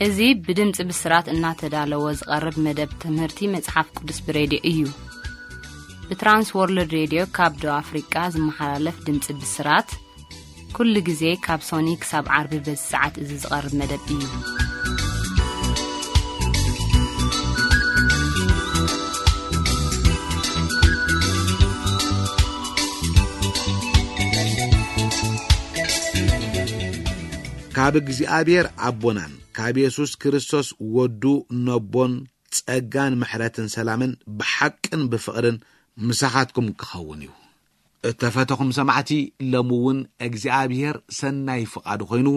እዚ ብድምፂ ብስራት እናተዳለወ ዝቐርብ መደብ ትምህርቲ መጽሓፍ ቅዱስ ብሬድዮ እዩ። ብትራንስ ወርልድ ሬድዮ ካብ ደቡብ ኣፍሪቃ ዝመሓላለፍ ድምፂ ብስራት፣ ኩሉ ግዜ ካብ ሶኒ ክሳብ ዓርቢ በዚ ሰዓት እዚ ዝቐርብ መደብ እዩ። ካብ እግዚኣብሔር ኣቦናን ካብ የሱስ ክርስቶስ ወዱ ነቦን ጸጋን ምሕረትን ሰላምን ብሓቅን ብፍቕርን ምሳኻትኩም ክኸውን እዩ። እተፈተኹም ሰማዕቲ፣ ሎሚ እውን እግዚኣብሔር ሰናይ ፍቓዱ ኮይኑ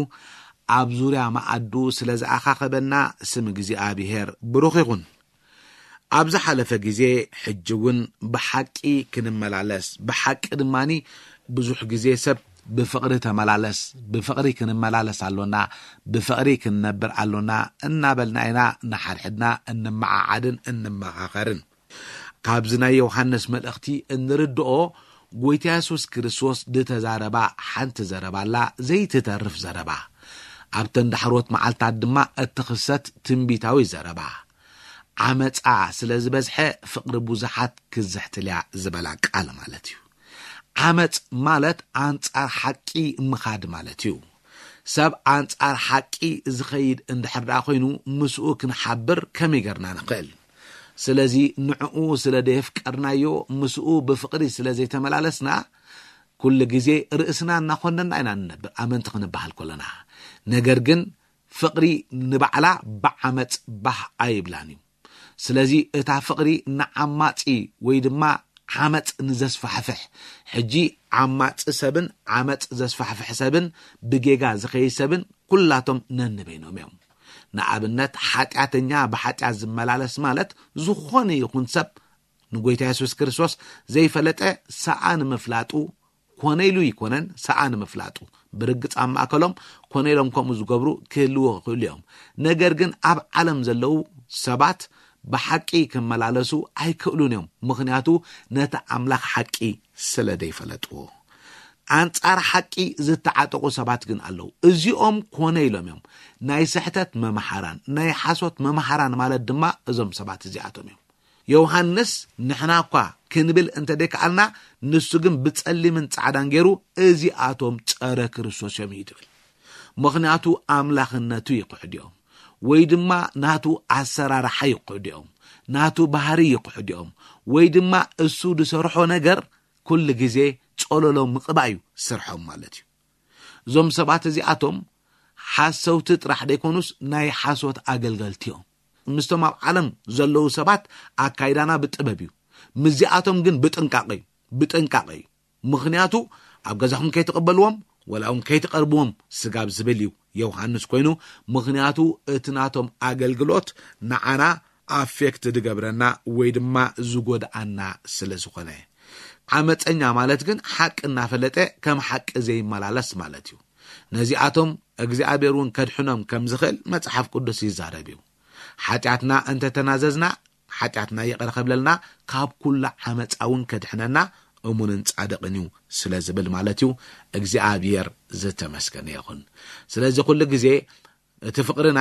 ኣብ ዙርያ መኣዱ ስለ ዝኣኻኸበና ስም እግዚኣብሔር ብሩኽ ይኹን። ኣብ ዝሓለፈ ግዜ፣ ሕጂ እውን ብሓቂ ክንመላለስ፣ ብሓቂ ድማኒ ብዙሕ ግዜ ሰብ ብፍቕሪ ተመላለስ፣ ብፍቕሪ ክንመላለስ ኣሎና፣ ብፍቕሪ ክንነብር ኣሎና እናበልና ኢና ንሓድሕድና እንመዓዓድን እንመኻኸርን። ካብዚ ናይ ዮሃንስ መልእኽቲ እንርድኦ፣ ጎይታ የሱስ ክርስቶስ ዝተዛረባ ሓንቲ ዘረባ ኣላ፣ ዘይትተርፍ ዘረባ። ኣብተን ዳሕሮት መዓልታት ድማ እትኽሰት ትንቢታዊ ዘረባ። ዓመጻ ስለ ዝበዝሐ ፍቕሪ ብዙሓት ክዝሕትልያ ዝበላ ቃል ማለት እዩ። ዓመጽ ማለት ኣንጻር ሓቂ ምኻድ ማለት እዩ። ሰብ ኣንጻር ሓቂ ዝኸይድ እንድሕር ደኣ ኮይኑ ምስኡ ክንሓብር ከመይ ገርና ንኽእል? ስለዚ ንዕኡ ስለ ደየፍቀርናዮ ምስኡ ብፍቕሪ ስለ ዘይተመላለስና ኩሉ ግዜ ርእስና እናኾነና ኢና ንነብር ኣመንቲ ክንበሃል ከለና። ነገር ግን ፍቕሪ ንባዕላ ብዓመጽ ባህ ኣይብላን እዩ። ስለዚ እታ ፍቕሪ ንዓማጺ ወይ ድማ ዓመጽ ንዘስፋሕፍሕ፣ ሕጂ ዓማጺ ሰብን ዓመጽ ዘስፋሕፍሕ ሰብን ብጌጋ ዝኸይድ ሰብን ኩላቶም ነንበይኖም እዮም። ንኣብነት ሓጢኣተኛ ብሓጢኣት ዝመላለስ ማለት ዝኾነ ይኹን ሰብ ንጎይታ የሱስ ክርስቶስ ዘይፈለጠ ሰኣን ምፍላጡ ኮነ ኢሉ ይኮነን ሰኣን ምፍላጡ። ብርግጽ ኣብ ማእከሎም ኮነ ኢሎም ከምኡ ዝገብሩ ክህልዉ ይኽእሉ እዮም። ነገር ግን ኣብ ዓለም ዘለዉ ሰባት ብሓቂ ክመላለሱ ኣይክእሉን እዮም። ምኽንያቱ ነቲ ኣምላኽ ሓቂ ስለ ዘይፈለጥዎ። ኣንጻር ሓቂ ዝተዓጠቑ ሰባት ግን ኣለዉ። እዚኦም ኮነ ኢሎም እዮም ናይ ስሕተት መምሓራን፣ ናይ ሓሶት መምሓራን ማለት ድማ እዞም ሰባት እዚኣቶም እዮም። ዮሃንስ ንሕና እኳ ክንብል እንተ ደይከኣልና፣ ንሱ ግን ብጸሊምን ጻዕዳን ገይሩ እዚኣቶም ጸረ ክርስቶስ እዮም እዩ ትብል። ምኽንያቱ ኣምላኽነቱ ይኽሕድኦም ወይ ድማ ናቱ ኣሰራርሓ ይኽሕድኦም፣ ናቱ ባህሪ ይኽሕድኦም ወይ ድማ እሱ ዝሰርሖ ነገር ኩሉ ግዜ ጸለሎ ምቕባእ እዩ ስርሖም ማለት እዩ። እዞም ሰባት እዚኣቶም ሓሰውቲ ጥራሕ ደይኮኑስ ናይ ሓሶት ኣገልገልቲ እዮም። ምስቶም ኣብ ዓለም ዘለዉ ሰባት ኣካይዳና ብጥበብ እዩ፣ ምስዚኣቶም ግን ብጥንቃቐ እዩ፣ ብጥንቃቐ እዩ። ምኽንያቱ ኣብ ገዛኹም ከይትቕበልዎም ወላ እውን ከይትቐርብዎም ስጋብ ዝብል እዩ ዮሃንስ ኮይኑ። ምኽንያቱ እቲ ናቶም ኣገልግሎት ንዓና ኣፌክት ዝገብረና ወይ ድማ ዝጎድኣና ስለ ዝኾነ። ዓመፀኛ ማለት ግን ሓቂ እናፈለጠ ከም ሓቂ ዘይመላለስ ማለት እዩ። ነዚኣቶም እግዚኣብሔር እውን ከድሕኖም ከም ዝኽእል መጽሓፍ ቅዱስ ይዛረብ እዩ። ሓጢኣትና እንተተናዘዝና ሓጢኣትና ይቕረ ከብለልና ካብ ኩሉ ዓመፃ እውን ከድሕነና እሙንን ጻድቕን እዩ ስለ ዝብል ማለት እዩ። እግዚኣብሔር ዝተመስገነ ይኹን። ስለዚ ኩሉ ግዜ እቲ ፍቕርና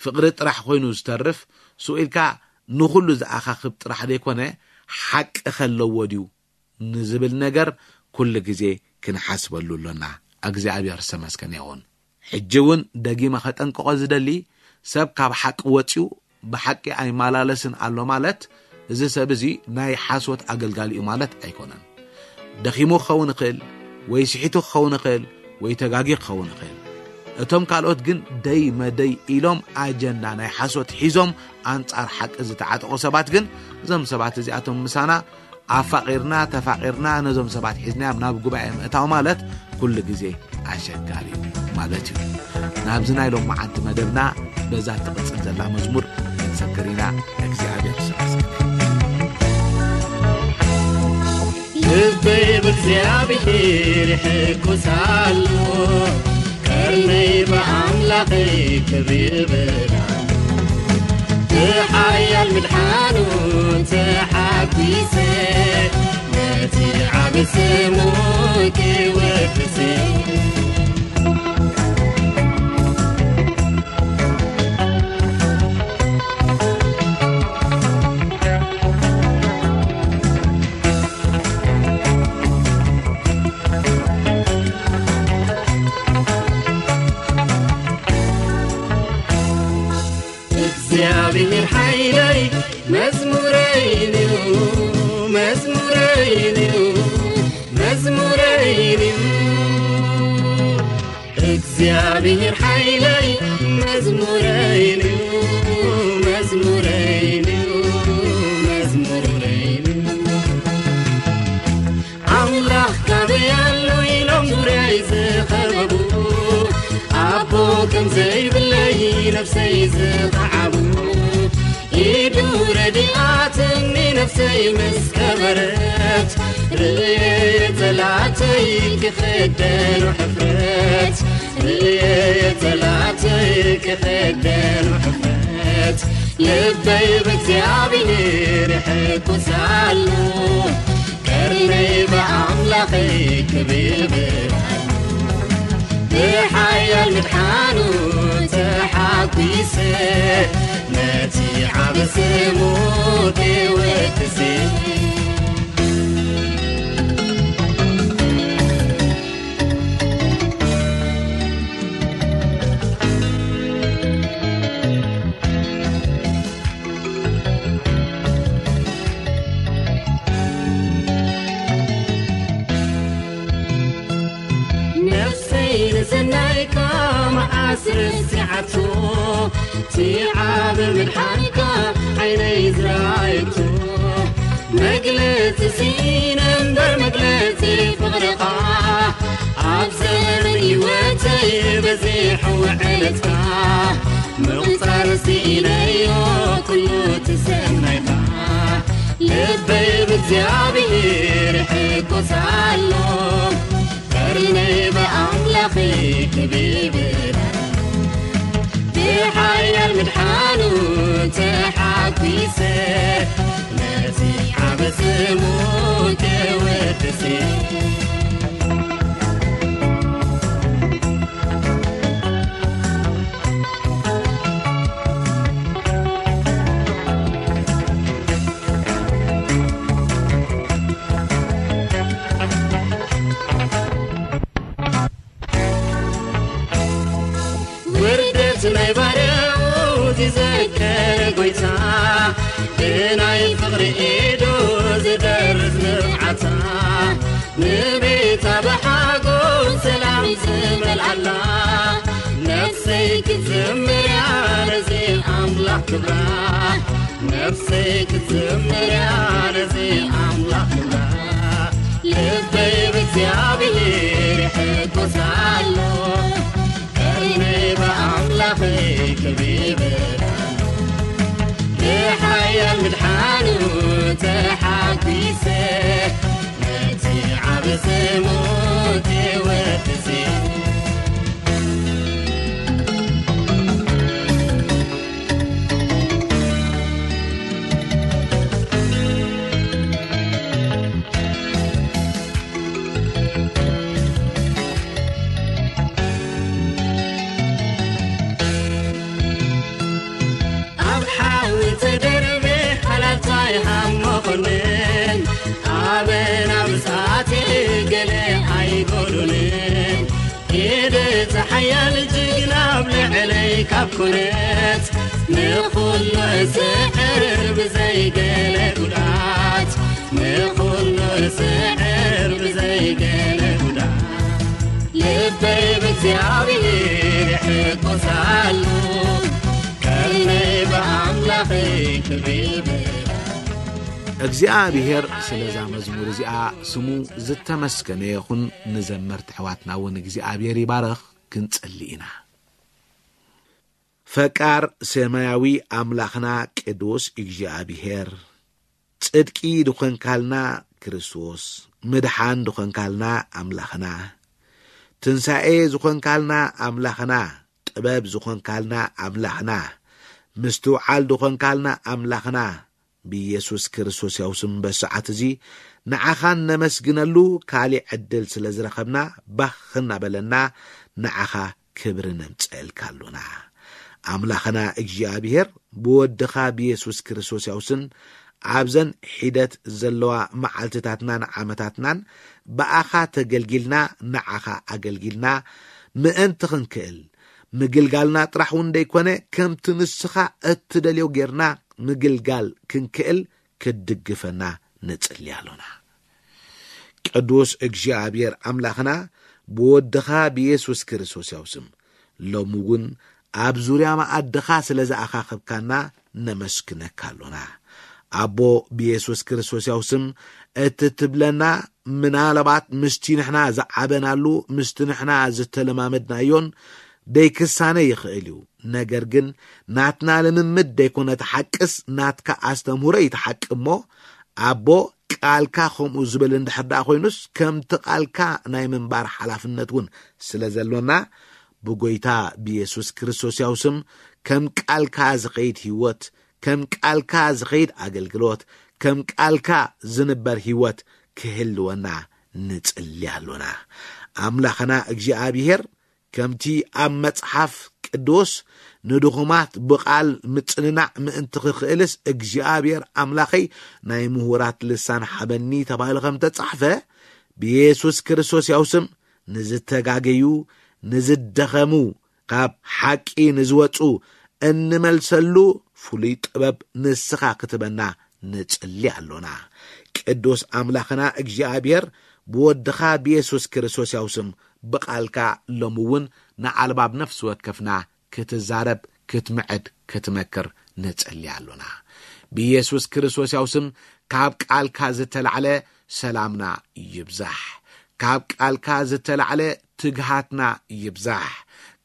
ፍቕሪ ጥራሕ ኮይኑ ዝተርፍ ስኢልካ ንኹሉ ዝኣኻኽብ ጥራሕ ዘይኮነ ሓቂ ከለዎ ድዩ ንዝብል ነገር ኩሉ ግዜ ክንሓስበሉ ኣሎና። እግዚኣብሔር ዝተመስገነ ይኹን። ሕጂ እውን ደጊመ ከጠንቅቖ ዝደሊ ሰብ ካብ ሓቂ ወፂኡ ብሓቂ ኣይመላለስን ኣሎ ማለት እዚ ሰብ እዚ ናይ ሓሶት ኣገልጋሊ እዩ ማለት ኣይኮነን። ደኺሙ ክኸውን ይኽእል ወይ ስሒቱ ክኸውን ይኽእል ወይ ተጋጊ ክኸውን ይኽእል። እቶም ካልኦት ግን ደይ መደይ ኢሎም ኣጀንዳ ናይ ሓሶት ሒዞም ኣንጻር ሓቂ ዝተዓጠቑ ሰባት ግን እዞም ሰባት እዚኣቶም ምሳና ኣፋቒርና ተፋቒርና ነዞም ሰባት ሒዝናዮም ናብ ጉባኤ ምእታው ማለት ኩሉ ግዜ ኣሸጋሪ እዩ ማለት እዩ። ናብዚ ናይ ሎማዓንቲ መደብና በዛ ትቕጽል ዘላ መዝሙር ክንሰግር ኢና። እግዚኣብሔር ስብሐት። ልበይ ብእግዚኣብሔር ይሕጉስ ኣሎ፣ ቀርነይ ብኣምላኸይ ክብሪ ይብል ኣሎ። ብሓያል ምድሓኑ ተሓጒሰ፣ ነቲ ዓቢ ስሙ ክወድስ። መዝሙረይን እዩ፣ መዝሙረይን እዩ፣ መዝሙረይን እዩ። እግዚኣብሔር ሓይለይ መዝሙረይን እዩ፣ መዝሙረይን እዩ፣ መዝሙረይን እዩ። ኣምላኽ ካበይ ኣሎ ኢሎም ዙርያይ ዝኸበቡ፣ ኣቦ ከም ዘይብለይ ነፍሰይ ዝኸዓቡ፣ ኢዱ ረዲኣትኒ ነፍሰይ ምስ ከበረት፣ ርእየ ጸላእተይ ክኽደኑ ሕፍረት፣ ርእየ ጸላእተይ ክኽደኑ ሕፍረት፣ ልበይ ብእግዚኣብሔር ይሕጎስ ኣሎ። ቀርነይ ብኣምላኸይ ክብር ኣሎ። ብሓያል ምድሓኑ ተሓጒሰ፣ ነቲ ዓቢ ስሙ ክወድሰ። ነፍሰይ ንሰናይካ መዓስ ረሲዓቶ፣ እቲ ዓቢ ምድሓንካ ዓይነይ ዝረኣየቶ። መግለጺ ስኢነ እምበር መግለጺ ፍቕርኻ፣ ኣብ ዘመን ህይወተይ በዚሑ ውዕለትካ። ምቑጻር ስኢነዮ ኩሉ እቲ ሰናይካ፣ ልበይ ብእግዚኣብሔር ይሕጎስ ኣሎ። ቀርነይ ብኣምላኸይ ክብር ኣሎ። ብሓያል ምድሓኑ ተሓጒሰ፣ ነቲ ዓቢ ስሙ ክወድስ። ውርደት ናይ ባርያኡ ዝዘከረ ጎይታ፣ ብናይ ፍቕሪ ኢዱ ዝደርዝ ንብዓታ፣ ንቤታ ብሓጎስ ሰላም ዝመልኣላ፣ ነፍሰይ ክትዝምርያ ነዚ ኣምላኽ ክብራ፣ ነፍሰይ ክትዝምርያ ነዚ ኣምላኽ ክብራ። ልበይ ብእግዚኣብሔር ይሕጎስ ኣሎ፣ ቀርነይ ብኣምላኸይ ክብር ኣሎ። ብሓያል ምድሓኑ ተሓጒሰ፣ ነቲ ዓቢ ስሙ ክወድስ። ኣብ ሓዊ ተደርበ ሃላልታይ ሃም መኮንን፣ ኣበና ብጻቴ ገለ ኣይጎዱንን። ኢድ እቲ ሓያል ጅግና ኣብ ልዕለይ ካብ ኮነት፣ ንኹሉ እስዕር ብዘይ ገለ ጉድኣት፣ ንኹሉ እስዕር ብዘይ ገለ ጉድኣት፣ ልበይ ብእግዚኣብሔር ይሕጎስ ኣሎ፣ ቀርነይ ብኣምላኸይ ክብር ይብል። እግዚኣብሔር ስለዛ መዝሙር እዚኣ ስሙ ዝተመስገነ ይኹን። ንዘመርቲ ኣሕዋትና እውን እግዚኣብሔር ይባርኽ ክንጽሊ ኢና። ፈቃር ሰማያዊ ኣምላኽና ቅዱስ እግዚኣብሔር፣ ጽድቂ ዝኾንካልና ክርስቶስ፣ ምድሓን ዝኾንካልና ኣምላኽና፣ ትንሳኤ ዝኾንካልና ኣምላኽና፣ ጥበብ ዝኾንካልና ኣምላኽና፣ ምስትውዓል ዝኾንካልና ኣምላኽና፣ ብኢየሱስ ክርስቶስ ያው ስም በሰዓት እዚ ንዓኻ እነመስግነሉ ካሊእ ዕድል ስለ ዝረኸብና ባኽ እናበለና ንዓኻ ክብሪ ነምጽአልካ ኣሎና። ኣምላኽና እግዚኣብሔር ብወድኻ ብየሱስ ክርስቶስ ያውስን ኣብዘን ሒደት ዘለዋ መዓልትታትናን ዓመታትናን ብኣኻ ተገልጊልና ንዓኻ ኣገልጊልና ምእንቲ ክንክእል ምግልጋልና ጥራሕ እውን ደይኮነ ከምቲ ንስኻ እትደልዮ ጌርና ምግልጋል ክንክእል ክትድግፈና ንጽሊ ኣሎና። ቅዱስ እግዚኣብሔር ኣምላኽና፣ ብወድኻ ብየሱስ ክርስቶስ ያው ስም ሎሚ እውን ኣብ ዙርያ መኣድኻ ስለ ዝኣኻኸብካና ነመስግነካ ኣሎና። ኣቦ፣ ብየሱስ ክርስቶስ ያው ስም እቲ ትብለና ምናልባት ምስቲ ንሕና ዝዓበናሉ፣ ምስቲ ንሕና ዝተለማመድናዮን ደይክሳነ ይኽእል እዩ። ነገር ግን ናትና ልምምድ ደይኮነ እቲ ሓቅስ ናትካ ኣስተምህሮ እዩ እቲ ሓቂ እሞ፣ ኣቦ፣ ቃልካ ከምኡ ዝብል እንድሕር ደኣ ኮይኑስ፣ ከምቲ ቃልካ ናይ ምንባር ሓላፍነት እውን ስለ ዘሎና፣ ብጎይታ ብየሱስ ክርስቶስ ያው ስም ከም ቃልካ ዝኸይድ ህይወት፣ ከም ቃልካ ዝኸይድ ኣገልግሎት፣ ከም ቃልካ ዝንበር ህይወት ክህልወና ንጽሊ ኣሎና። ኣምላኽና እግዚኣብሔር፣ ከምቲ ኣብ መጽሓፍ ቅዱስ፣ ንድኹማት ብቓል ምጽንናዕ ምእንቲ ክኽእልስ እግዚኣብሔር ኣምላኸይ ናይ ምሁራት ልሳን ሓበኒ ተባሂሉ ከም ተጻሕፈ፣ ብየሱስ ክርስቶስ ያው ስም ንዝተጋገዩ፣ ንዝደኸሙ፣ ካብ ሓቂ ንዝወጹ እንመልሰሉ ፍሉይ ጥበብ ንስኻ ክትበና ንጽሊ ኣሎና። ቅዱስ ኣምላኽና እግዚኣብሔር፣ ብወድኻ ብየሱስ ክርስቶስ ያው ስም ብቓልካ ሎሚ እውን ንኣልባብ ነፍሲ ወከፍና ክትዛረብ፣ ክትምዕድ፣ ክትመክር ንጽሊ ኣሎና። ብየሱስ ክርስቶስ ያው ስም ካብ ቃልካ ዝተላዕለ ሰላምና ይብዛሕ። ካብ ቃልካ ዝተላዕለ ትግሃትና ይብዛሕ።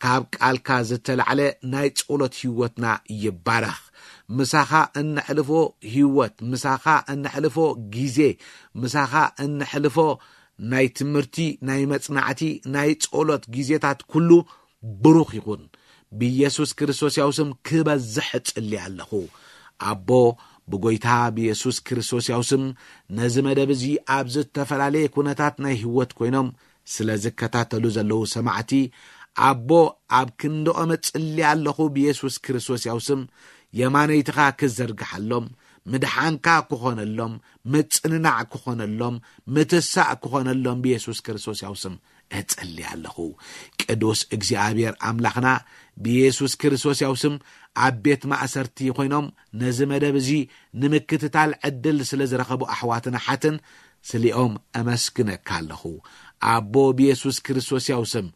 ካብ ቃልካ ዝተላዕለ ናይ ጸሎት ህይወትና ይባረኽ። ምሳኻ እነሕልፎ ህይወት፣ ምሳኻ እነሕልፎ ግዜ፣ ምሳኻ እነሕልፎ ናይ ትምህርቲ፣ ናይ መጽናዕቲ፣ ናይ ጸሎት ግዜታት ኩሉ ብሩኽ ይኹን። ብየሱስ ክርስቶስ ያው ስም ክበዝሕ እጽሊ ኣለኹ። ኣቦ፣ ብጎይታ ብየሱስ ክርስቶስ ያው ስም ነዚ መደብ እዚ ኣብ ዝተፈላለየ ኩነታት ናይ ህይወት ኮይኖም ስለ ዝከታተሉ ዘለዉ ሰማዕቲ፣ ኣቦ፣ ኣብ ክንድኦም እጽሊ ኣለኹ። ብየሱስ ክርስቶስ ያው ስም የማነይትኻ ክዘርግሓሎም፣ ምድሓንካ ክኾነሎም፣ ምጽንናዕ ክኾነሎም፣ ምትሳእ ክኾነሎም ብየሱስ ክርስቶስ ያው ስም እጽሊ ኣለኹ። ቅዱስ እግዚኣብሔር ኣምላኽና፣ ብየሱስ ክርስቶስ ያው ስም ኣብ ቤት ማእሰርቲ ኮይኖም ነዚ መደብ እዚ ንምክትታል ዕድል ስለ ዝረኸቡ ኣሕዋትን ኣሓትን ስሊኦም እመስግነካ ኣለኹ። ኣቦ፣ ብየሱስ ክርስቶስ ያው ስም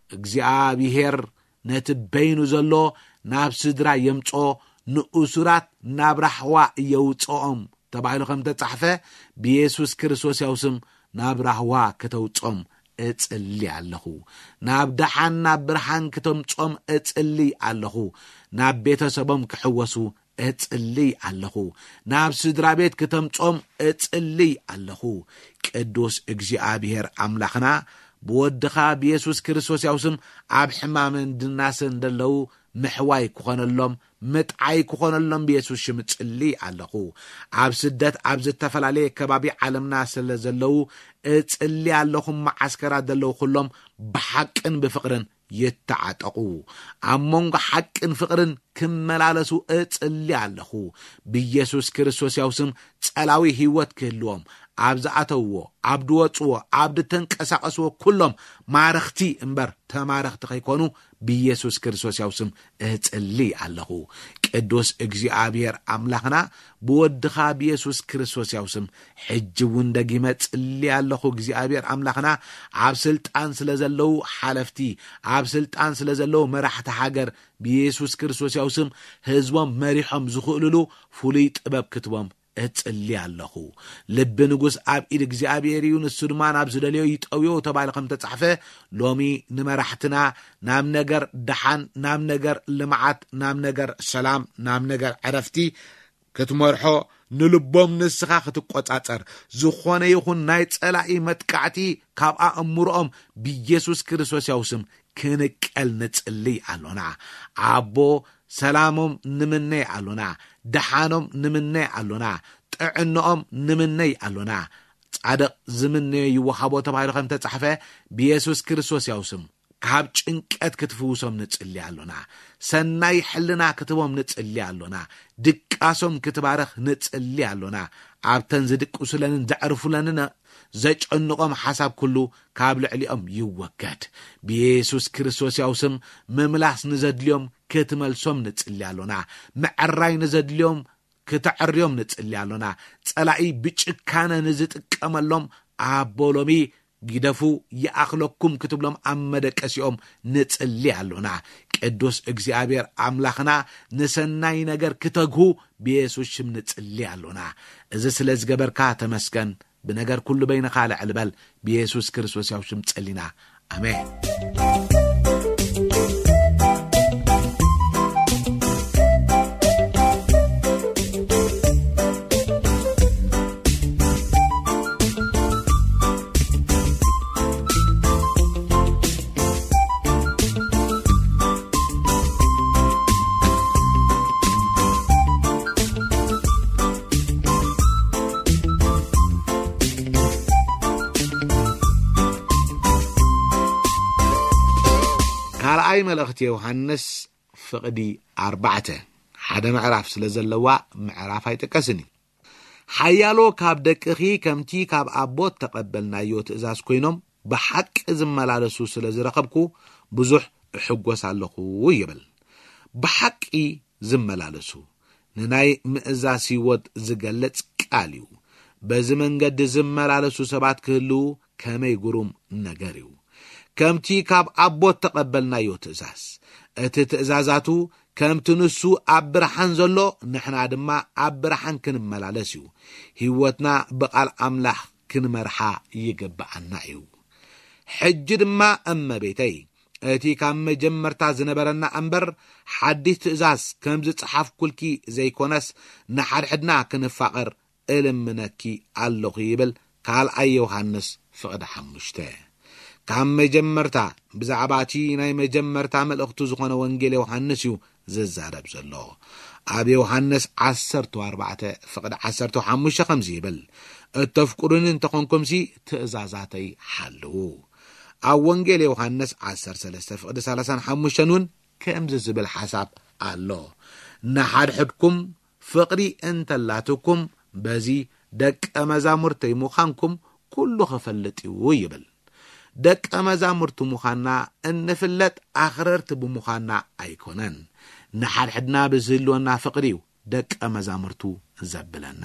እግዚኣብሔር ነቲ በይኑ ዘሎ ናብ ስድራ የምጾ፣ ንእሱራት ናብ ራሕዋ የውጽኦም ተባሂሉ ከም ተጻሕፈ፣ ብየሱስ ክርስቶስ ያው ስም ናብ ራህዋ ከተውጾም እጽሊ ኣለኹ። ናብ ደሓን፣ ናብ ብርሃን ክተምጾም እጽሊ ኣለኹ። ናብ ቤተሰቦም ክሕወሱ እጽሊ ኣለኹ። ናብ ስድራ ቤት ክተምጾም እጽሊ ኣለኹ። ቅዱስ እግዚኣብሔር ኣምላኽና፣ ብወድኻ ብየሱስ ክርስቶስ ያው ስም ኣብ ሕማምን ድናስን ዘለዉ ምሕዋይ ክኾነሎም፣ ምጥዓይ ክኾነሎም ብየሱስ ሽም እጽሊ ኣለኹ። ኣብ ስደት፣ ኣብ ዝተፈላለየ ከባቢ ዓለምና ስለ ዘለዉ እጽሊ ኣለኹ። መዓስከራት ዘለዉ ኩሎም ብሓቅን ብፍቕርን ይተዓጠቑ። ኣብ መንጎ ሓቅን ፍቕርን ክመላለሱ እጽሊ ኣለኹ። ብየሱስ ክርስቶስ ያው ስም ጸላዊ ህይወት ክህልዎም፣ ኣብ ዝኣተውዎ፣ ኣብ ዝወጽዎ፣ ኣብ ዝተንቀሳቐስዎ ኩሎም ማረኽቲ እምበር ተማረኽቲ ከይኮኑ ብየሱስ ክርስቶስ ያው ስም እጽሊ ኣለኹ። ቅዱስ እግዚኣብሔር ኣምላኽና፣ ብወድኻ ብየሱስ ክርስቶስ ያው ስም ሕጂ እውን ደጊመ ጽሊ ኣለኹ። እግዚኣብሔር ኣምላኽና፣ ኣብ ስልጣን ስለ ዘለዉ ሓለፍቲ፣ ኣብ ስልጣን ስለ ዘለዉ መራሕቲ ሃገር፣ ብየሱስ ክርስቶስ ያው ስም ህዝቦም መሪሖም ዝኽእልሉ ፍሉይ ጥበብ ክትቦም እጽሊ ኣለኹ። ልቢ ንጉስ ኣብ ኢድ እግዚኣብሔር እዩ፣ ንሱ ድማ ናብ ዝደልዮ ይጠውዮ ተባሂሉ ከም ተጻሕፈ፣ ሎሚ ንመራሕትና ናብ ነገር ደሓን፣ ናብ ነገር ልምዓት፣ ናብ ነገር ሰላም፣ ናብ ነገር ዕረፍቲ ክትመርሖ፣ ንልቦም ንስኻ ክትቆጻጸር፣ ዝኾነ ይኹን ናይ ጸላኢ መጥቃዕቲ ካብ ኣእምሮኦም ብየሱስ ክርስቶስ ያው ስም ክንቀል ንጽልይ ኣሎና። ኣቦ፣ ሰላሞም ንምነይ ኣሎና፣ ደሓኖም ንምነይ ኣሎና፣ ጥዕንኦም ንምነይ ኣሎና። ጻድቕ ዝምነዮ ይወሃቦ ተባሂሉ ከም ተጻሕፈ፣ ብየሱስ ክርስቶስ ያው ስም ካብ ጭንቀት ክትፍውሶም ንጽሊ ኣሎና። ሰናይ ሕልና ክትቦም ንጽሊ ኣሎና። ድቃሶም ክትባረኽ ንጽሊ ኣሎና። ኣብተን ዝድቅሱለንን ዘዕርፉለንን ዘጨንቖም ሓሳብ ኩሉ ካብ ልዕሊኦም ይወገድ። ብየሱስ ክርስቶስ ያው ስም ምምላስ ንዘድልዮም ክትመልሶም ንጽሊ ኣሎና። ምዕራይ ንዘድልዮም ክተዕርዮም ንጽሊ ኣሎና። ጸላኢ ብጭካነ ንዝጥቀመሎም ኣቦ ሎሚ ግደፉ ይኣኽለኩም ክትብሎም ኣብ መደቀሲኦም ንጽሊ ኣሎና። ቅዱስ እግዚኣብሔር ኣምላኽና ንሰናይ ነገር ክተግሁ ብየሱስ ሽም ንጽሊ ኣሎና። እዚ ስለ ዝገበርካ ተመስገን። ብነገር ኩሉ በይንኻ ልዕል በል። ብየሱስ ክርስቶስ ያው ሽም ጸሊና። ኣሜን። ካልኣይ መልእኽቲ ዮሃንስ ፍቕዲ ኣርባዕተ፣ ሓደ ምዕራፍ ስለ ዘለዋ ምዕራፍ ኣይጥቀስን እዩ። ሓያሎ ካብ ደቅኺ ከምቲ ካብ ኣቦት ተቐበልናዮ ትእዛዝ ኮይኖም ብሓቂ ዝመላለሱ ስለ ዝረኸብኩ ብዙሕ እሕጎስ ኣለኹ ይብል። ብሓቂ ዝመላለሱ ንናይ ምእዛዝ ህይወት ዝገልጽ ቃል እዩ። በዚ መንገዲ ዝመላለሱ ሰባት ክህልዉ ከመይ ግሩም ነገር እዩ። ከምቲ ካብ ኣቦት ተቐበልናዮ ትእዛዝ፣ እቲ ትእዛዛቱ ከምቲ ንሱ ኣብ ብርሃን ዘሎ ንሕና ድማ ኣብ ብርሃን ክንመላለስ እዩ። ህይወትና ብቓል ኣምላኽ ክንመርሓ ይግብኣና እዩ። ሕጂ ድማ እመቤተይ፣ እቲ ካብ መጀመርታ ዝነበረና እምበር ሓድሽ ትእዛዝ ከም ዝጸሓፍኩልኪ ዘይኮነስ ንሓድሕድና ክንፋቐር እልምነኪ ኣለኹ ይብል ካልኣይ ዮሃንስ ፍቕዲ ሓሙሽተ። ካብ መጀመርታ ብዛዕባ እቲ ናይ መጀመርታ መልእኽቱ ዝኾነ ወንጌል ዮሃንስ እዩ ዝዛረብ ዘሎ። ኣብ ዮሃንስ ዓሰርተ ኣርባዕተ ፍቕዲ ዓሰርተ ሓሙሽተ ከምዚ ይብል፣ እተፍቅሩኒ እንተኾንኩምሲ ትእዛዛተይ ሓልዉ። ኣብ ወንጌል ዮሃንስ ዓሰርተ ሰለስተ ፍቕዲ ሰላሳን ሓሙሽተን እውን ከምዚ ዝብል ሓሳብ ኣሎ፣ ንሓድሕድኩም ፍቕሪ እንተላትኩም በዚ ደቀ መዛሙርተይ ምዃንኩም ኩሉ ክፈልጥ እዩ ይብል። ደቀ መዛሙርቱ ምዃንና እንፍለጥ ኣኽረርቲ ብምዃንና ኣይኮነን። ንሓድሕድና ብዝህልወና ፍቕሪ እዩ ደቀ መዛሙርቱ ዘብለና።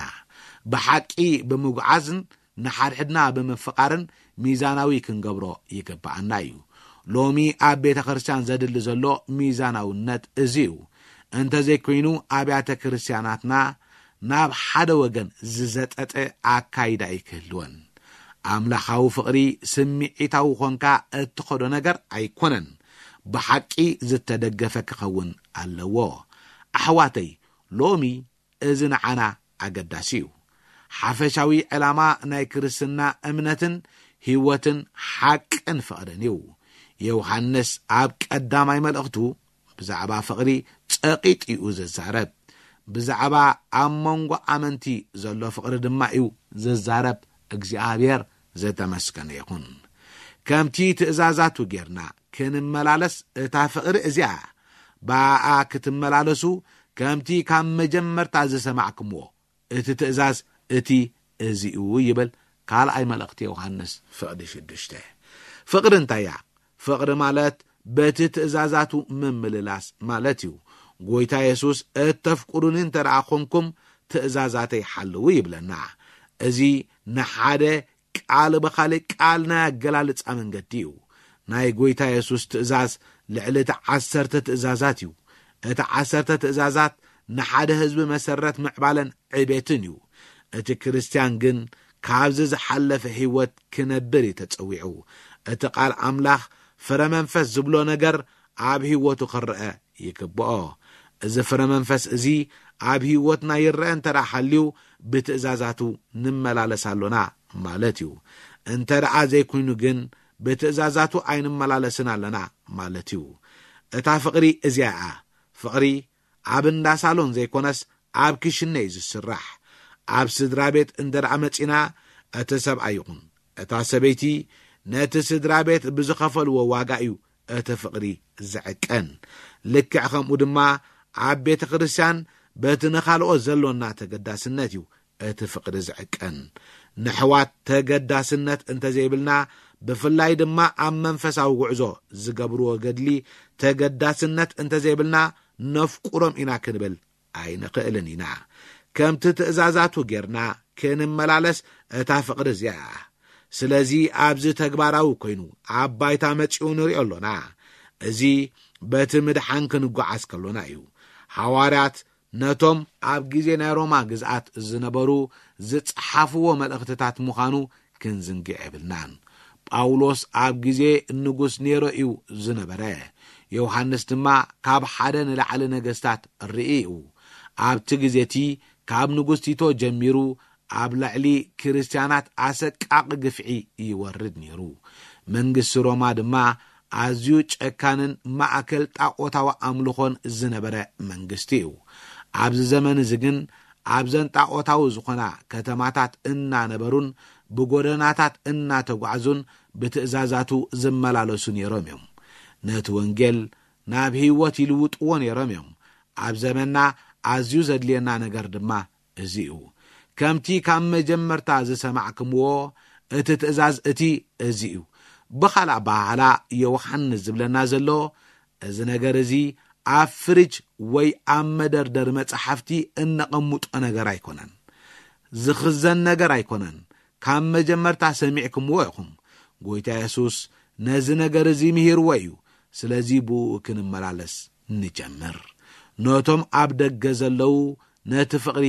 ብሓቂ ብምጉዓዝን ንሓድሕድና ብምፍቓርን ሚዛናዊ ክንገብሮ ይግብኣና እዩ። ሎሚ ኣብ ቤተ ክርስቲያን ዘድሊ ዘሎ ሚዛናውነት እዚ እዩ። እንተዘይኮይኑ ኣብያተ ክርስቲያናትና ናብ ሓደ ወገን ዝዘጠጠ ኣካይዳ እዩ ክህልወን። ኣምላኻዊ ፍቕሪ ስምዒታዊ ኾንካ እትኸዶ ነገር ኣይኮነን። ብሓቂ ዝተደገፈ ክኸውን ኣለዎ። ኣሕዋተይ፣ ሎሚ እዚ ንዓና ኣገዳሲ እዩ። ሓፈሻዊ ዕላማ ናይ ክርስትና እምነትን ህይወትን ሓቅን ፍቕርን እዩ። ዮሃንስ ኣብ ቀዳማይ መልእኽቱ ብዛዕባ ፍቕሪ ጸቒጡ እዩ ዝዛረብ። ብዛዕባ ኣብ መንጎ ኣመንቲ ዘሎ ፍቕሪ ድማ እዩ ዝዛረብ። እግዚኣብሔር ዘተመስገነ ይኹን። ከምቲ ትእዛዛቱ ጌርና ክንመላለስ እታ ፍቕሪ እዚኣ፣ ብኣኣ ክትመላለሱ ከምቲ ካብ መጀመርታ ዝሰማዕኩምዎ እቲ ትእዛዝ እቲ እዚ እዩ ይብል ካልኣይ መልእኽቲ ዮሃንስ ፍቕዲ ሽዱሽተ። ፍቕሪ እንታይ እያ? ፍቕሪ ማለት በቲ ትእዛዛቱ ምምልላስ ማለት እዩ። ጎይታ የሱስ እተፍቅሩኒ እንተ ደኣ ኾንኩም ትእዛዛተይ ሓልዉ ይብለና። እዚ ንሓደ ቃል ብኻልእ ቃል ናይ ኣገላልጻ መንገዲ እዩ። ናይ ጎይታ የሱስ ትእዛዝ ልዕሊ እቲ ዓሰርተ ትእዛዛት እዩ። እቲ ዓሰርተ ትእዛዛት ንሓደ ህዝቢ መሰረት ምዕባለን ዕቤትን እዩ። እቲ ክርስትያን ግን ካብዚ ዝሓለፈ ህይወት ክነብር እዩ ተጸዊዑ። እቲ ቃል ኣምላኽ ፍረ መንፈስ ዝብሎ ነገር ኣብ ህይወቱ ክረአ ይግብኦ። እዚ ፍረ መንፈስ እዚ ኣብ ህይወትና ይረአ እንተ ደኣ ሓልዩ ብትእዛዛቱ ንመላለስ ኣሎና ማለት እዩ። እንተ ደኣ ዘይኮይኑ ግን ብትእዛዛቱ ኣይንመላለስን ኣለና ማለት እዩ። እታ ፍቕሪ እዚኣ እያ። ፍቕሪ ኣብ እንዳ ሳሎን ዘይኮነስ ኣብ ክሽነ እዩ ዝስራሕ። ኣብ ስድራ ቤት እንተ ደኣ መጺና እቲ ሰብኣይ ይኹን እታ ሰበይቲ ነቲ ስድራ ቤት ብዝኸፈልዎ ዋጋ እዩ እቲ ፍቕሪ ዝዕቀን። ልክዕ ከምኡ ድማ ኣብ ቤተ ክርስቲያን በቲ ንኻልኦት ዘሎና ተገዳስነት እዩ እቲ ፍቕሪ ዝዕቀን። ንሕዋት ተገዳስነት እንተዘይብልና፣ ብፍላይ ድማ ኣብ መንፈሳዊ ጉዕዞ ዝገብርዎ ገድሊ ተገዳስነት እንተዘይብልና፣ ነፍቁሮም ኢና ክንብል ኣይንኽእልን ኢና። ከምቲ ትእዛዛቱ ጌርና ክንመላለስ እታ ፍቕሪ እዚኣ እያ። ስለዚ ኣብዚ ተግባራዊ ኮይኑ ኣብ ባይታ መጺኡ ንሪኦ ኣሎና። እዚ በቲ ምድሓን ክንጓዓዝ ከሎና እዩ። ሓዋርያት ነቶም ኣብ ግዜ ናይ ሮማ ግዝኣት ዝነበሩ ዝጸሓፍዎ መልእኽትታት ምዃኑ ክንዝንግዕ የብልናን። ጳውሎስ ኣብ ግዜ ንጉስ ኔሮ እዩ ዝነበረ። ዮሃንስ ድማ ካብ ሓደ ንላዕሊ ነገስታት ርኢ እዩ። ኣብቲ ግዜ እቲ ካብ ንጉስ ቲቶ ጀሚሩ ኣብ ልዕሊ ክርስትያናት ኣሰቃቒ ግፍዒ ይወርድ ነይሩ። መንግስቲ ሮማ ድማ ኣዝዩ ጨካንን ማእከል ጣዖታዊ ኣምልኾን ዝነበረ መንግስቲ እዩ። ኣብዚ ዘመን እዚ ግን ኣብዘን ጣዖታዊ ዝኾና ከተማታት እናነበሩን ብጎደናታት እናተጓዕዙን ብትእዛዛቱ ዝመላለሱ ነይሮም እዮም። ነቲ ወንጌል ናብ ህይወት ይልውጥዎ ነይሮም እዮም። ኣብ ዘመንና ኣዝዩ ዘድልየና ነገር ድማ እዚ እዩ። ከምቲ ካብ መጀመርታ ዝሰማዕክምዎ እቲ ትእዛዝ እቲ እዚ እዩ። ብኻልእ ኣበሃህላ ዮሃንስ ዝብለና ዘሎ እዚ ነገር እዚ ኣብ ፍሪጅ ወይ ኣብ መደርደሪ መጻሕፍቲ እነቐምጦ ነገር ኣይኮነን። ዝኽዘን ነገር ኣይኮነን። ካብ መጀመርታ ሰሚዕክምዎ ኢኹም። ጎይታ የሱስ ነዚ ነገር እዚ ምሂርዎ እዩ። ስለዚ ብኡ ክንመላለስ ንጀምር። ነቶም ኣብ ደገ ዘለዉ ነቲ ፍቕሪ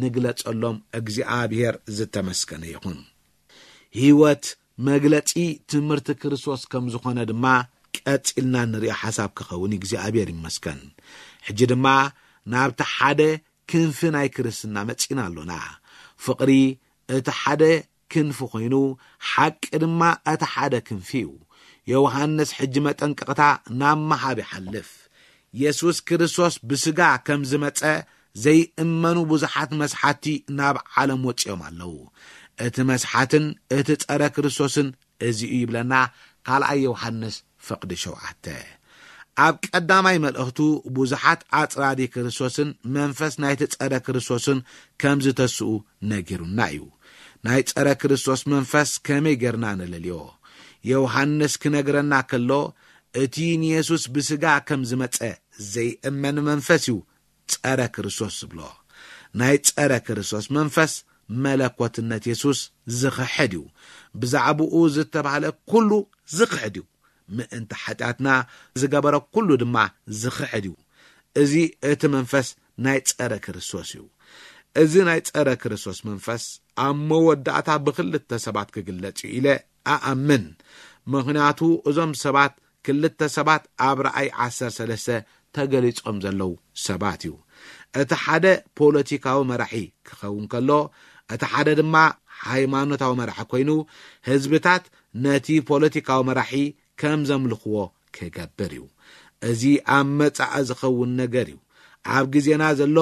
ንግለጸሎም። እግዚኣብሔር ዝተመስገነ ይኹን። ህይወት መግለጺ ትምህርቲ ክርስቶስ ከም ዝኾነ ድማ ቀጺልና ንሪኦ ሓሳብ ክኸውን እግዚኣብሔር ይመስገን። ሕጂ ድማ ናብቲ ሓደ ክንፊ ናይ ክርስትና መጺና ኣሎና። ፍቕሪ እቲ ሓደ ክንፊ ኮይኑ፣ ሓቂ ድማ እቲ ሓደ ክንፊ እዩ። ዮሃንስ ሕጂ መጠንቀቕታ ናብ ምሃብ ይሓልፍ። የሱስ ክርስቶስ ብስጋ ከም ዝመጸ ዘይእመኑ ብዙሓት መስሓቲ ናብ ዓለም ወጺኦም ኣለዉ። እቲ መስሓትን እቲ ጸረ ክርስቶስን እዚ እዩ ይብለና ካልኣይ ዮሃንስ ፈቕዲ ሸውዓተ። ኣብ ቀዳማይ መልእኽቱ ብዙሓት ኣጽራሪ ክርስቶስን መንፈስ ናይቲ ጸረ ክርስቶስን ከም ዝተስኡ ነጊሩና እዩ። ናይ ጸረ ክርስቶስ መንፈስ ከመይ ጌርና ንለልዮ? ዮሃንስ ክነግረና ከሎ፣ እቲ ንየሱስ ብስጋ ከም ዝመጸ ዘይእመን መንፈስ እዩ ጸረ ክርስቶስ ዝብሎ። ናይ ጸረ ክርስቶስ መንፈስ መለኮትነት የሱስ ዝኽሕድ እዩ። ብዛዕባኡ ዝተባህለ ኩሉ ዝኽሕድ እዩ። ምእንቲ ሓጢኣትና ዝገበረ ኩሉ ድማ ዝኽሕድ እዩ። እዚ እቲ መንፈስ ናይ ጸረ ክርስቶስ እዩ። እዚ ናይ ጸረ ክርስቶስ መንፈስ ኣብ መወዳእታ ብኽልተ ሰባት ክግለጽ እዩ ኢለ ኣኣምን። ምኽንያቱ እዞም ሰባት ክልተ ሰባት ኣብ ራእይ ዓሰርተ ሰለስተ ተገሊጾም ዘለዉ ሰባት እዩ። እቲ ሓደ ፖለቲካዊ መራሒ ክኸውን ከሎ፣ እቲ ሓደ ድማ ሃይማኖታዊ መራሒ ኮይኑ፣ ህዝብታት ነቲ ፖለቲካዊ መራሒ ከም ዘምልኽዎ ክገብር እዩ። እዚ ኣብ መጻኢ ዝኸውን ነገር እዩ። ኣብ ግዜና ዘሎ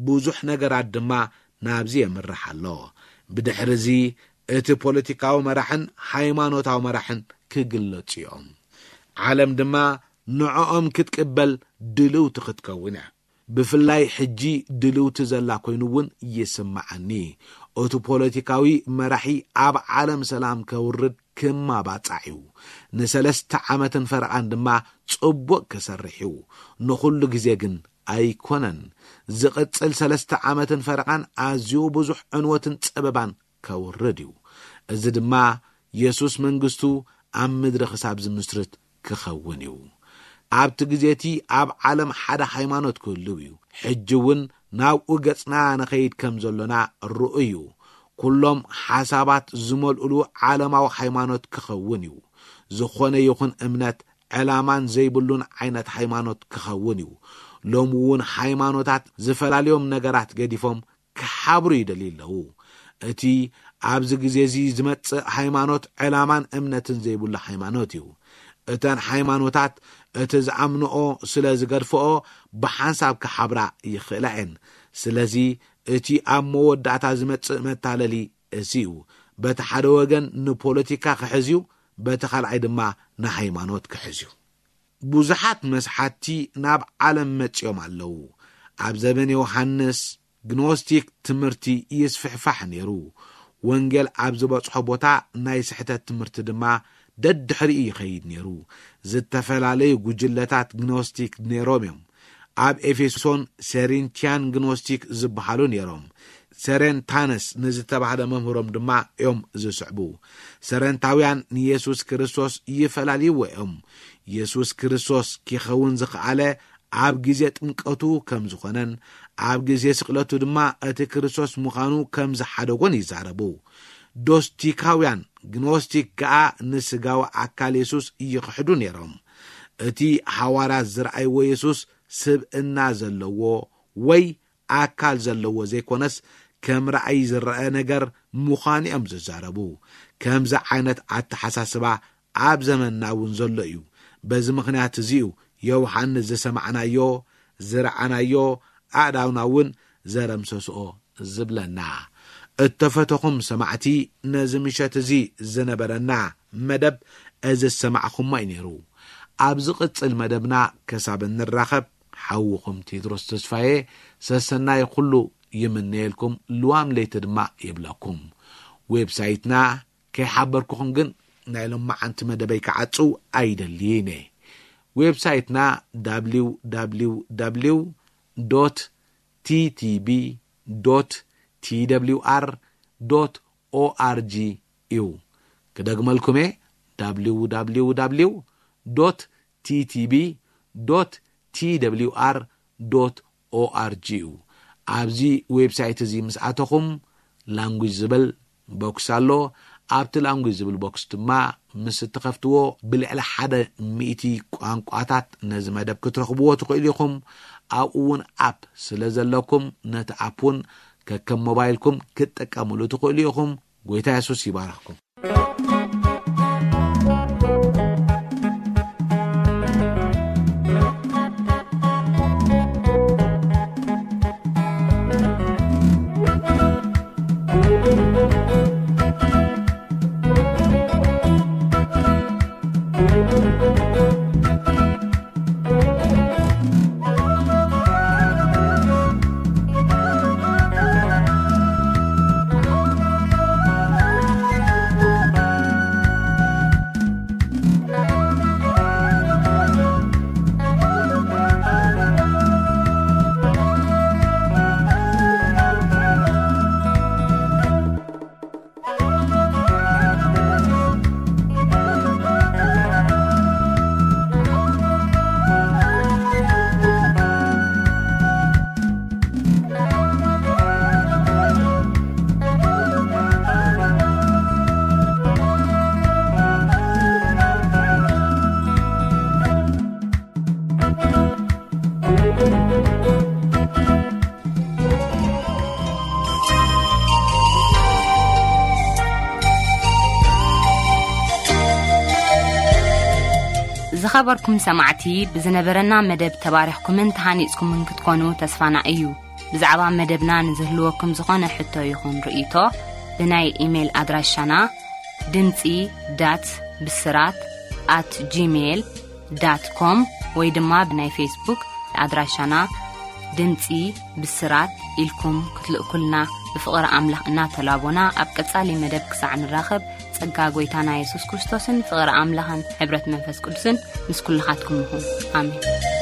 ብዙሕ ነገራት ድማ ናብዚ የምርሕ ኣሎ። ብድሕሪ እዚ እቲ ፖለቲካዊ መራሕን ሃይማኖታዊ መራሕን ክግለጹ እዮም። ዓለም ድማ ንዕኦም ክትቅበል ድልውቲ ክትከውን እያ። ብፍላይ ሕጂ ድልውቲ ዘላ ኮይኑ እውን ይስምዓኒ። እቲ ፖለቲካዊ መራሒ ኣብ ዓለም ሰላም ከውርድ ክማባጻዕ እዩ። ንሰለስተ ዓመትን ፈረቓን ድማ ጽቡቕ ክሰርሕ እዩ። ንኹሉ ግዜ ግን ኣይኮነን። ዝቕጽል ሰለስተ ዓመትን ፈረቓን ኣዝዩ ብዙሕ ዕንወትን ጸበባን ከውርድ እዩ። እዚ ድማ የሱስ መንግስቱ ኣብ ምድሪ ክሳብ ዝምስርት ክኸውን እዩ። ኣብቲ ግዜ እቲ ኣብ ዓለም ሓደ ሃይማኖት ክህልው እዩ። ሕጂ እውን ናብኡ ገጽና ንኸይድ ከም ዘሎና ርኡይ እዩ። ኩሎም ሓሳባት ዝመልኡሉ ዓለማዊ ሃይማኖት ክኸውን እዩ። ዝኾነ ይኹን እምነት ዕላማን ዘይብሉን ዓይነት ሃይማኖት ክኸውን እዩ። ሎሚ እውን ሃይማኖታት ዝፈላልዮም ነገራት ገዲፎም ክሓብሩ ይደልዩ ኣለዉ። እቲ ኣብዚ ግዜ እዚ ዝመጽእ ሃይማኖት ዕላማን እምነትን ዘይብሉ ሃይማኖት እዩ። እተን ሃይማኖታት እቲ ዝኣምንኦ ስለ ዝገድፍኦ ብሓንሳብ ክሓብራ ይኽእላ እየን። ስለዚ እቲ ኣብ መወዳእታ ዝመጽእ መታለሊ እዚ እዩ። በቲ ሓደ ወገን ንፖለቲካ ክሕዝ እዩ፣ በቲ ካልኣይ ድማ ንሃይማኖት ክሕዝ እዩ። ብዙሓት መስሓቲ ናብ ዓለም መጺኦም ኣለዉ። ኣብ ዘበን ዮሃንስ ግኖስቲክ ትምህርቲ ይስፍሕፋሕ ነይሩ። ወንጌል ኣብ ዝበጽሖ ቦታ ናይ ስሕተት ትምህርቲ ድማ ደድሕሪኡ ይኸይድ ነይሩ። ዝተፈላለዩ ጉጅለታት ግኖስቲክ ነይሮም እዮም። ኣብ ኤፌሶን ሴሪንቲያን ግኖስቲክ ዝበሃሉ ነይሮም። ሴሬንታነስ ንዝተባህለ መምህሮም ድማ እዮም ዝስዕቡ። ሰረንታውያን ንየሱስ ክርስቶስ ይፈላልይዎ እዮም። የሱስ ክርስቶስ ኪኸውን ዝኸኣለ ኣብ ግዜ ጥምቀቱ ከም ዝኾነን ኣብ ግዜ ስቕለቱ ድማ እቲ ክርስቶስ ምዃኑ ከም ዝሓደጎን ይዛረቡ። ዶስቲካውያን ግኖስቲክ ከኣ ንስጋዊ ኣካል የሱስ ይኽሕዱ ነይሮም። እቲ ሃዋርያት ዝረኣይዎ የሱስ ስብእና ዘለዎ ወይ ኣካል ዘለዎ ዘይኮነስ ከም ራእይ ዝረአ ነገር ምዃኑ እዮም ዝዛረቡ። ከምዚ ዓይነት ኣተሓሳስባ ኣብ ዘመንና እውን ዘሎ እዩ። በዚ ምኽንያት እዚ እዩ ዮሃንስ ዝሰማዕናዮ፣ ዝረኣናዮ፣ ኣእዳውና እውን ዘረምሰስኦ ዝብለና። እተፈተኹም ሰማዕቲ፣ ነዚ ምሸት እዚ ዝነበረና መደብ እዚ ዝሰማዕኹሞ እዩ ነይሩ። ኣብ ዝቕጽል መደብና ክሳብ እንራኸብ፣ ሓውኹም ቴድሮስ ተስፋዬ ሰሰናይ ኩሉ ይምነየልኩም፣ ልዋም ለይቲ ድማ ይብለኩም። ዌብሳይትና ከይሓበርኩኹም ግን ናይ ሎማዓንቲ መደበይ ክዓጽው ኣይደልይን እየ። ዌብሳይትና www ዶት ቲቲቢ ዶት ቲደብሊውኣር ዶት ኦኣርጂ እዩ። ክደግመልኩም እየ፣ www ዶት ቲቲቢ ዶት ቲደብሊውኣር ዶት ኦኣርጂ እዩ። ኣብዚ ዌብሳይት እዚ ምስ ኣተኹም ላንጉጅ ዝብል ቦክስ ኣሎ። ኣብቲ ላንጉጅ ዝብል ቦክስ ድማ ምስ እትኸፍትዎ ብልዕሊ ሓደ ሚእቲ ቋንቋታት ነዚ መደብ ክትረኽብዎ ትኽእሉ ኢኹም። ኣብኡ እውን ኣፕ ስለ ዘለኩም ነቲ ኣፕ እውን ከከም ሞባይልኩም ክትጥቀምሉ ትኽእሉ ኢኹም። ጎይታ የሱስ ይባርኽኩም። ዝኸበርኩም ሰማዕቲ፣ ብዝነበረና መደብ ተባሪኽኩምን ተሃኒጽኩምን ክትኮኑ ተስፋና እዩ። ብዛዕባ መደብና ንዝህልወኩም ዝኾነ ሕቶ ይኹን ርእይቶ፣ ብናይ ኢሜይል ኣድራሻና ድምጺ ዳት ብስራት ኣት ጂሜይል ዳት ኮም ወይ ድማ ብናይ ፌስቡክ ኣድራሻና ድምጺ ብስራት ኢልኩም ክትልእኩልና ብፍቕሪ ኣምላኽ እናተላቦና፣ ኣብ ቀጻሊ መደብ ክሳዕ ንራኸብ፣ ጸጋ ጐይታና የሱስ ክርስቶስን ፍቕሪ ኣምላኽን ሕብረት መንፈስ ቅዱስን ምስ ኩልኻትኩም ይኹን። ኣሜን።